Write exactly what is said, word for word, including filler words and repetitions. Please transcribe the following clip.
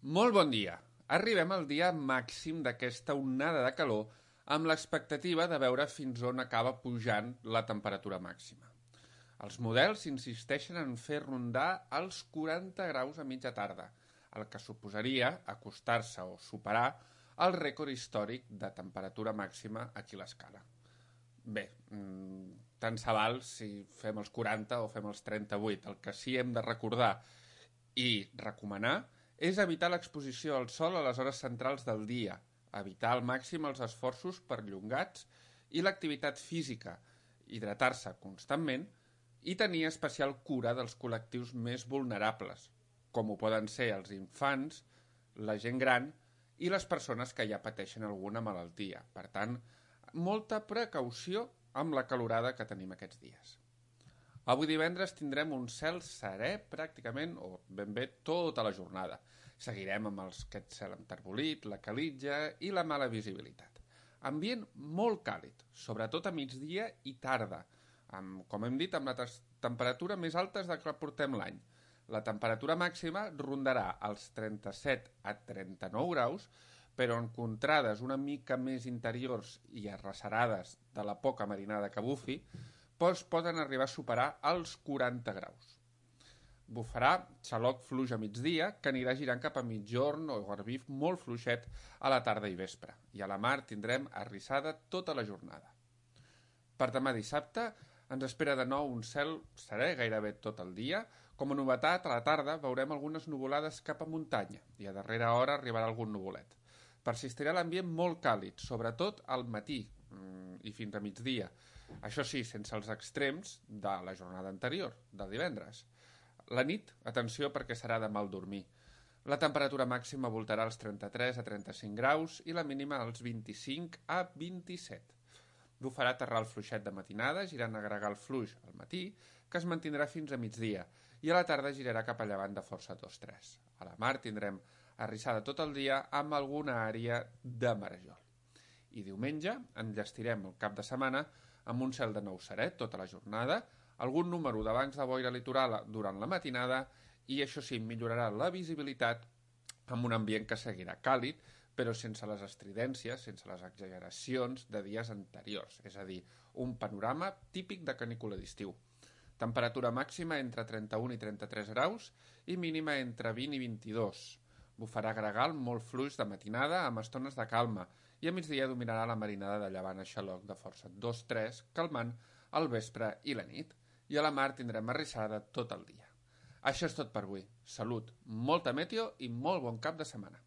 Molt bon dia. Arribem al dia màxim d'aquesta onada de calor amb l'expectativa de veure fins on acaba pujant la temperatura màxima. Els models insisteixen en fer rondar els quaranta graus a mitja tarda, el que suposaria acostar-se o superar el rècord històric de temperatura màxima aquí a l'escala. Bé, tant se val si fem els quaranta o fem els trenta-vuit. El que sí hem de recordar i recomanar és evitar l'exposició al sol a les hores centrals del dia, evitar al màxim els esforços perllongats i l'activitat física, hidratar-se constantment i tenir especial cura dels col·lectius més vulnerables, com ho poden ser els infants, la gent gran i les persones que ja pateixen alguna malaltia. Per tant, molta precaució amb la calorada que tenim aquests dies. Avui divendres tindrem un cel serè pràcticament, o ben bé, tota la jornada. Seguirem amb els, aquest cel enterbolit, la calitja i la mala visibilitat. Ambient molt càlid, sobretot a migdia i tarda, amb, com hem dit, amb les temperatures més altes de que portem l'any. La temperatura màxima rondarà els trenta-set a trenta-nou graus, però en contrades una mica més interiors i arrecerades de la poca marinada que bufi, doncs poden arribar a superar els quaranta graus. Bufarà xaloc fluix a migdia, que anirà girant cap a mitjorn o garbif molt fluixet a la tarda i vespre, i a la mar tindrem arrissada tota la jornada. Per demà dissabte ens espera de nou un cel serè gairebé tot el dia. Com a novetat, a la tarda veurem algunes nuvolades cap a muntanya i a darrera hora arribarà algun nuvolet. Persistirà l'ambient molt càlid, sobretot al matí i fins a migdia. Això sí, sense els extrems de la jornada anterior, del divendres. La nit, atenció perquè serà de mal dormir. La temperatura màxima voltarà als trenta-tres a trenta-cinc graus i la mínima als vint-i-cinc a vint-i-set. Bufarà terral fluixet de matinada, girant a gregal fluix al matí, que es mantindrà fins a migdia, i a la tarda girarà cap a llevant de força dos tres. A la mar tindrem arrissada tot el dia amb alguna àrea de marejol. I diumenge enllestirem el cap de setmana amb un cel de nou serè tota la jornada, algun número de bancs de boira litoral durant la matinada i això sí, millorarà la visibilitat amb un ambient que seguirà càlid, però sense les estridències, sense les exageracions de dies anteriors, és a dir, un panorama típic de canícula d'estiu. Temperatura màxima entre trenta-un i trenta-tres graus i mínima entre vint i vint-i-dos. Bufarà gregal molt fluix de matinada amb estones de calma i a migdia dominarà la marinada de llevant a xaloc de força dos tres, calmant al vespre i la nit, i a la mar tindrem arrissada tot el dia. Això és tot per avui. Salut, molta meteo i molt bon cap de setmana.